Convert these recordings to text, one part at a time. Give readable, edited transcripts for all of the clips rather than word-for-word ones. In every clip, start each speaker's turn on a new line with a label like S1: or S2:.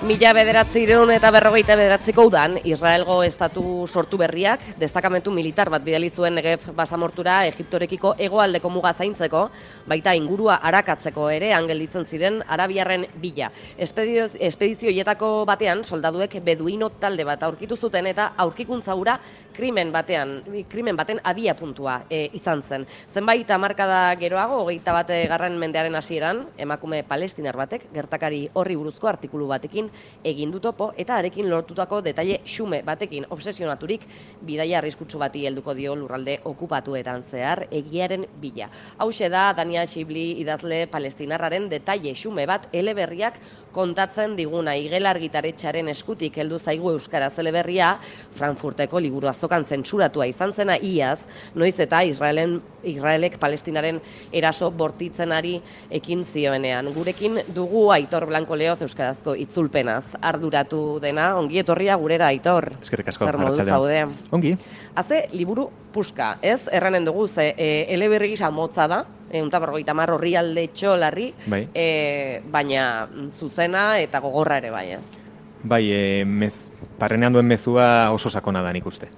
S1: 1949ko udan, Israelgo estatu sortu berriak destakamentu militar bat bidali zuen Negev basamortura Egiptorekiko hegoaldeko muga zaintzeko, baita ingurua arakatzeko ere gelditzen ziren arabiarren bila. Espedizio hietako batean soldaduek beduino talde bat aurkitu zuten eta aurkikuntza hura krimen baten abia puntua izan zen. Zenbait hamarkada geroago, 21. mendearen hasieran, emakume palestinar batek gertakari horri buruzko artikulu batekin egin du topo eta arekin lortutako detaile xume batekin obsesionaturik bidaia arriskutsu bati helduko dio lurralde okupatuetan zehar egiaren bila. Hauxe da Daniel Shibli idazle palestinarraren detaile xume bat eleberriak kontatzen diguna. Igel Argitaretxearen eskutik heldu zaigu euskaraz eleberria, Frankfurteko liburu azokan zentsuratua izan zena iaz, noiz eta Israelek Palestinaren eraso bortitzenari ekin zioenean. Gurekin dugu Aitor Blanco Leoz euskarazko itzulpenaz arduratu dena. Ongi etorria gurera, Aitor.
S2: Eskerrik asko.
S1: Zer moduz zaude?
S2: Ongi.
S1: Haze liburu puska, ez? Erranen dugu, ze eleberri gisa motza da, 150 orrialde txolarri,
S2: bai.
S1: Baina zuzena eta gogorra ere bai, ez?
S2: Bai, barrenean duen mezua oso sakona da nik uste.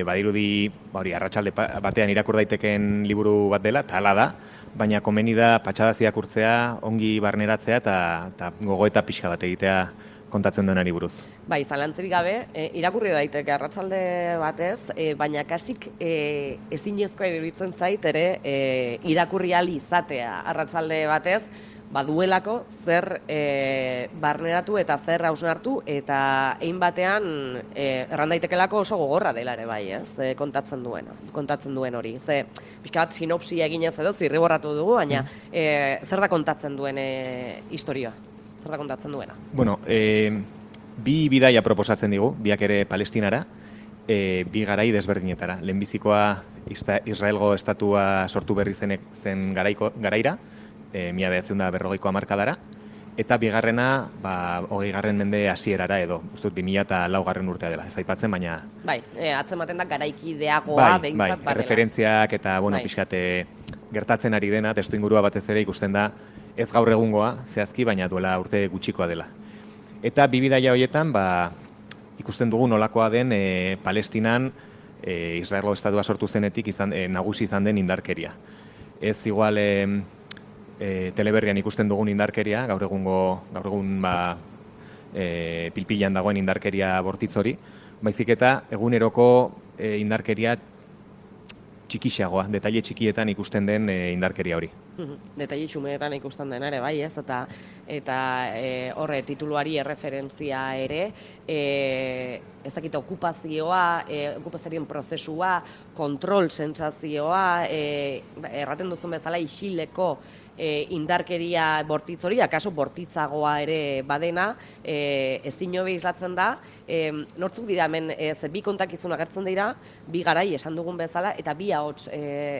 S2: Badirudi, arratsalde batean irakur daiteken liburu bat dela, eta hala da, baina komeni da patxadaz irakurtzea, ongi barneratzea eta gogoeta pixka bat egitea kontatzen duenari buruz.
S1: Bai, zalantzerik gabe, irakurri daiteke arratsalde batez, baina kasik ezinezkoa iruditzen zait ere irakurri ahal izatea arratsalde batez, baduelako zer barneratu eta zer hausnartu eta hein batean erran daitekelako oso gogorra dela ere bai, ez? Kontatzen duen hori. Ze pixka bat sinopsia eginez edo zirriborratu dugu, baina zer da kontatzen duen istorioa? Zer da kontatzen duena?
S2: Bueno, bi bidaia proposatzen digu, biak ere Palestinara, bi garai desberdinetara. Lehenbizikoa Israelgo estatua sortu berri zen garaira, 1940ko hamarkadara, eta bigarrena, 20. mende hasierara edo, ustut 2004 urtea dela, ez aipatzen, baina...
S1: Bai, atzematen da garaikideagoa, behintzat barela.
S2: Referentziak eta, pixkate gertatzen ari dena, testuingurua batez ere ikusten da, ez gaur egungoa, zehazki, baina duela urte gutxikoa dela. Eta bi bidaia horietan, ikusten dugu nolakoa den Palestinan Israelgo estatua sortu zenetik nagusi izan den indarkeria. Ez igual teleberrian ikusten dugun indarkeria, gaur egun pilpilan dagoen indarkeria bortitz hori, baizik eta eguneroko indarkeria txikixagoa, detaile txikietan ikusten den indarkeria hori.
S1: Detaile txumeetan ikusten den ere, bai, ez? Eta horre tituluari erreferentzia ere, ez dakit okupazioaren prozesua, kontrol sentsazioa, erraten duzun bezala isileko indarkeria bortitz hori, akaso bortitzagoa ere badena, ezin hobe islatzen da, nortzuk dira hemen, bi kontakizun agertzen dira, bi garai esan dugun bezala, eta bi ahots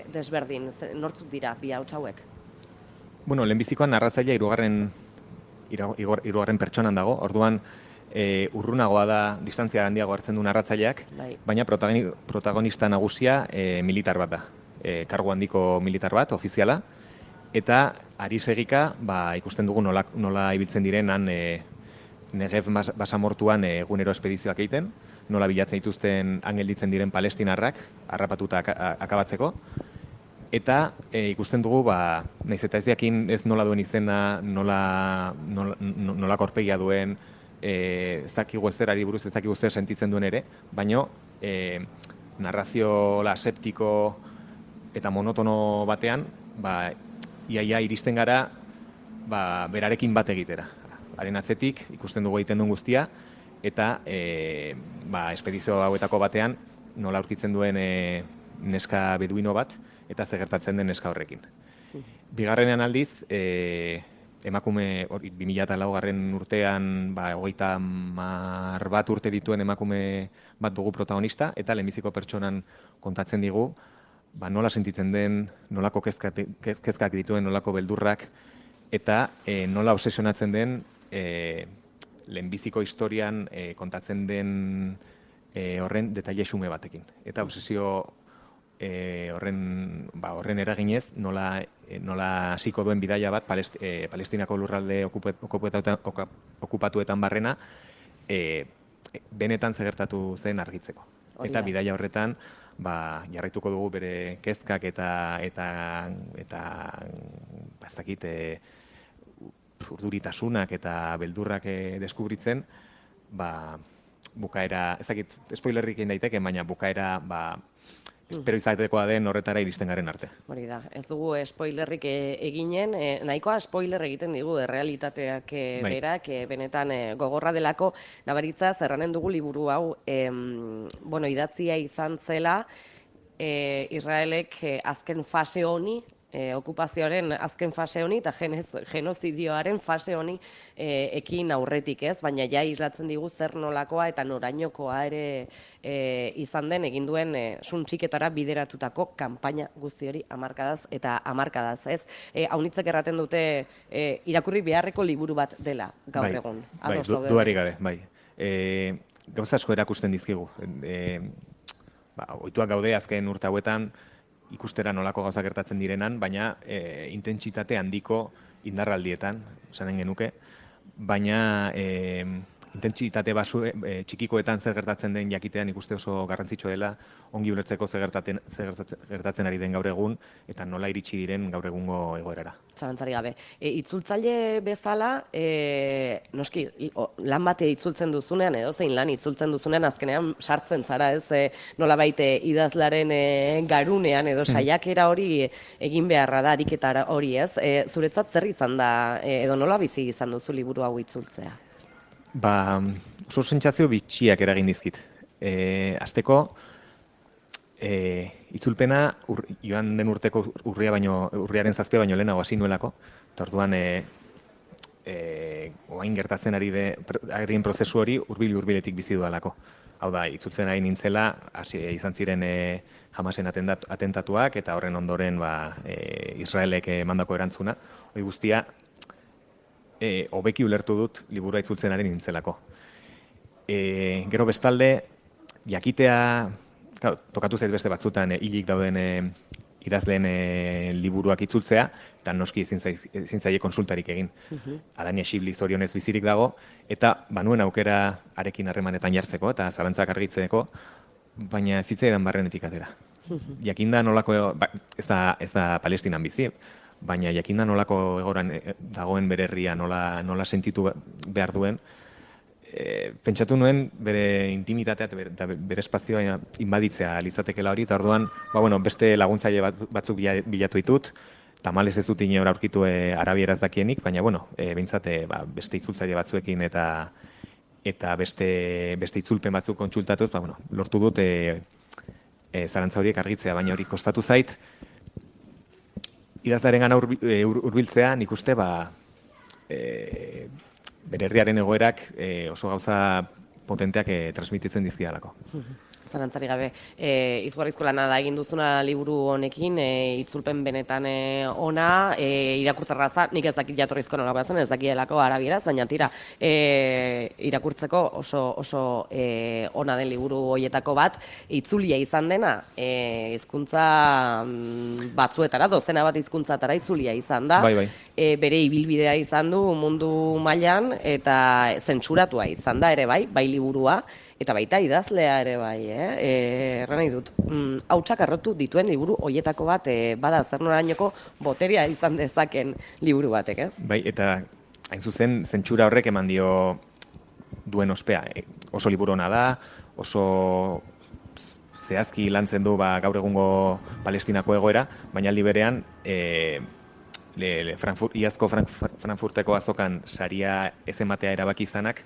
S1: desberdin, nortzuk dira bi ahots hauek?
S2: Bueno, lehenbizikoan narratzailea hirugarren pertsonan dago, orduan urrunagoa da, distantzia handiago hartzen du narratzaileak, baina protagonista nagusia militar bat da, kargu handiko militar bat, ofiziala, eta ari segika ikusten dugu nola ibiltzen direnan Negev basamortuan egunero espedizioak egiten, nola bilatzen dituzten gelditzen diren palestinarrak harrapatuta akabatzeko, eta ikusten dugu, nahiz eta ez diakin ez nola duen izena, nola korpegia duen, ez dakigu ezerari buruz, ez dakigu zer sentitzen duen ere, baino narrazio aseptiko eta monotono batean, iaia iristen gara berarekin bat egitera. Haren atzetik ikusten dugu egiten duen guztia, eta espedizio hauetako batean nola aurkitzen duen neska beduino bat, eta ze gertatzen den neska horrekin. Bigarrenean aldiz, emakume 2004 urtean 30 urte dituen emakume bat dugu protagonista, eta lehenbiziko pertsonan kontatzen digu, nola sentitzen den, nolako kezkak dituen, nolako beldurrak, eta nola obsesionatzen den lehenbiziko historian kontatzen den horren detaile xume batekin. Eta obsesio horren eraginez, nola hasiko duen bidaia bat Palestinako lurralde okupatuetan barrena, benetan zegertatu zen argitzeko. Eta bidaia horretan, jarraituko dugu bere kezkak eta ez dakit, urduritasunak eta beldurrak deskubritzen, bukaera, ez dakit, spoilerrik egin daiteke, baina bukaera, espero izatekoa den horretara iristen garen arte.
S1: Hori da, ez dugu spoilerrik eginen, nahikoa spoiler egiten digu realitateak berak, benetan gogorra delako, nabaritza zerranen dugu liburu hau, idatzia izan zela, Israelek azken fase honi, okupazioaren azken fase honi eta genozidioaren fase honi ekin aurretik, ez? Baina ja islatzen digu zer nolakoa eta norainokoa ere izan den egin duen suntxiketara bideratutako kanpaina guzti hori hamarkadaz eta hamarkadaz, ez? Haunitzek erraten dute irakurri beharreko liburu bat dela gaur egun.
S2: Duari gabe, bai. Gauza asko erakusten dizkigu. Ohituak gaude azken urte hauetan, ikustera nolako gauza gertatzen direnan, baina intentsitate handiko indarraldietan, esanen genuke, baina intentsitate txikikoetan zer gertatzen den jakitean ikuste oso garrantzitsua dela, ongi ulertzeko zer gertatzen ari den gaur egun, eta nola iritsi diren gaur egungo egoerara.
S1: Zalantzari gabe. Itzultzaile bezala, noski, lan bate itzultzen duzunean, edo zein lan itzultzen duzunean, azkenean sartzen zara, ez nola baite idazlaren garunean, edo saiakera hori egin beharra da, ariketa hori, ez? Zuretzat zer izan da, edo nola bizi izan duzu liburu hau itzultzea?
S2: Oso sentsazio bitxiak eragin dizkit. Hasteko, itzulpena joan den urteko urriaren 7 baino lehenago hasi nuelako, eta orduan oain gertatzen arien prozesu hori hurbiletik bizi dudalako. Hau da, itzultzen ari nintzela, izan ziren Hamasen atentatuak, eta horren ondoren Israelek mandako erantzuna. Hori guztia, hobeki ulertu dut liburua itzultzen ari nintzelako. Gero bestalde, jakitea, tokatu zait beste batzutan hilik dauden idazleen liburuak itzultzea, eta noski ezin zaie konsultarik egin. Adania Xibli zorionez bizirik dago, eta banuen aukera arekin harremanetan jartzeko, eta zalantzak argitzeko, baina ez zitzaidan barrenetik atera. Jakinda nolako, ez da Palestinan bizi, baina jakinda nolako egoran dagoen bere herria, nola sentitu behar duen, pentsatu nuen bere intimitatea eta bere espazioa inbaditzea litzatekela hori, eta orduan, beste laguntzaile batzuk bilatu ditut, tamalez ez dut inora aurkitu arabieraz dakienik, baina, behintzat, beste itzultzaile batzuekin eta beste itzulpen batzuk kontsultatuz, lortu dut zalantza horiek argitzea, baina hori kostatu zait, idazlaren gana hurbiltzea, nik uste, bere herriaren egoerak oso gauza potenteak transmititzen dizkialako.
S1: Zalantzari gabe, izugarrizko lana da egin duzuna liburu honekin, itzulpen benetan ona, irakurtzarra nik ez dakit jatorrizko nolakoa zen, ez dakielako arabieraz, baina tira, irakurtzeko oso ona den liburu hoietako bat, itzulia izan dena, hizkuntza batzuetara, dozena bat hizkuntzatara itzulia izan da, bere ibilbidea izan du mundu mailan, eta zentsuratua izan da ere bai liburua, eta baita idazlea ere bai, erran nahi dut, hautsak arrotu dituen liburu hoietako bat, bada zer norainoko boterea izan dezaken liburu batek, ez?
S2: Bai, eta hain zuzen, zentsura horrek eman dio duen ospea. Oso liburu ona da, oso zehazki lantzen du gaur egungo Palestinako egoera, baina aldi berean, iazko Frankfurteko azokan saria ez ematea erabaki izanak,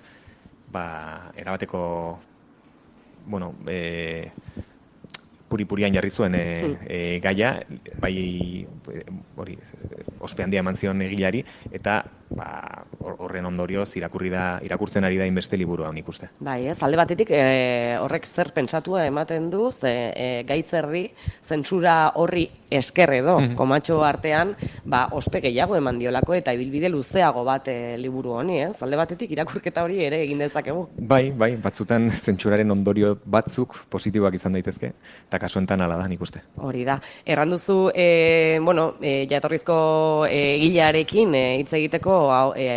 S2: erabateko puri-purian jarri zuen gaia, bai ospe handia eman zion egilari, eta horren ondorioz irakurtzen ari da inbeste liburu hau nik uste.
S1: Bai, ez, alde batetik horrek zer pentsatua ematen du, gaitzerri, zentsura horri esker edo, komatxo artean, ospe gehiago eman diolako eta ibilbide luzeago bat liburu honi, ez? Alde batetik irakurketa hori ere egin dezakegu.
S2: Bai, batzutan zentsuraren ondorio batzuk positiboak izan daitezke, eta kasu enten ala da, nik uste.
S1: Hori da. Erranduzu, jatorrizko gilearekin hitz egiteko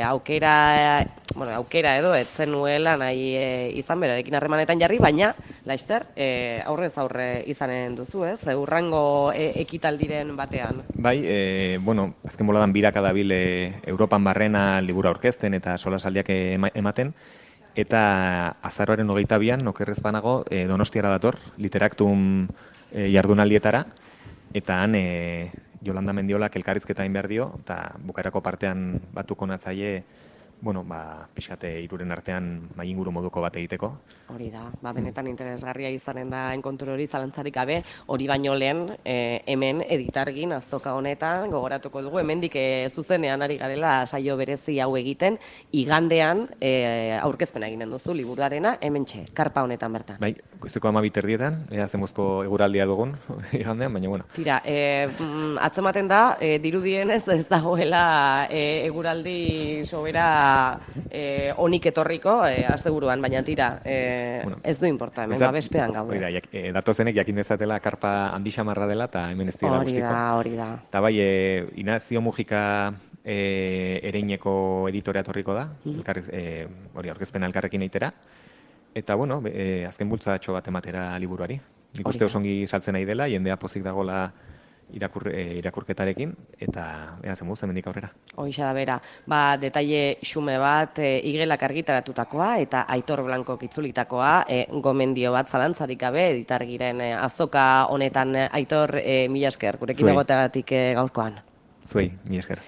S1: aukera edo ez zenuela nahi izan berarekin harremanetan jarri, baina, laizter, aurrez aurre izanen duzu, ez? Urrango ekitaldiren batean.
S2: Bai, azken boladan biraka dabil Europan barrena libura aurkezten eta solasaldiak ematen, eta azaroaren 22an, okerrez banago, Donostiara dator, Literaktum jardunaldietara, eta han Jolanda Mendiolak elkarrizketa egin behar dio, eta bukaerako partean batuko natzaile, pixate iruren artean inguru moduko bat egiteko.
S1: Hori da, benetan interesgarria izanen da enkontru hori zalantzarik gabe, hori baino lehen hemen editargin azoka honetan gogoratuko dugu, hemendik zuzenean ari garela saio berezi hau egiten, igandean aurkezpena eginen duzu liburuarena, hementxe, karpa honetan bertan.
S2: Bai, goizeko 12:00 ea zemuzko eguraldia dugun igandean, baina bueno.
S1: Tira, atzematen da, dirudienez ez dagoela eguraldi sobera onik etorriko asteburuan, baina tira, ez du importa, hemen babespean gaude.
S2: Hori da, datozenek jakin dezatela karpa handi xamarra dela eta hemen ez dira guztiko.
S1: Hori da.
S2: Eta bai, Inazio Mujika Ereineko editorea torriko da, hori aurkezpena elkarrekin eitera, eta azken bultzatxo bat ematera liburuari. Nik uste osongi saltzen nahi dela, jendea pozik dagoela irakurketarekin, eta ea zemuz, hemendik aurrera.
S1: Hoixa da bera, detaile xume bat, igelak argitaratutakoa eta Aitor Blankok itzulitakoa, gomendio bat zalantzarik gabe, editargiren azoka honetan Aitor, mila esker, gurekin egoteagatik gaurkoan.
S2: Zuei, mila esker.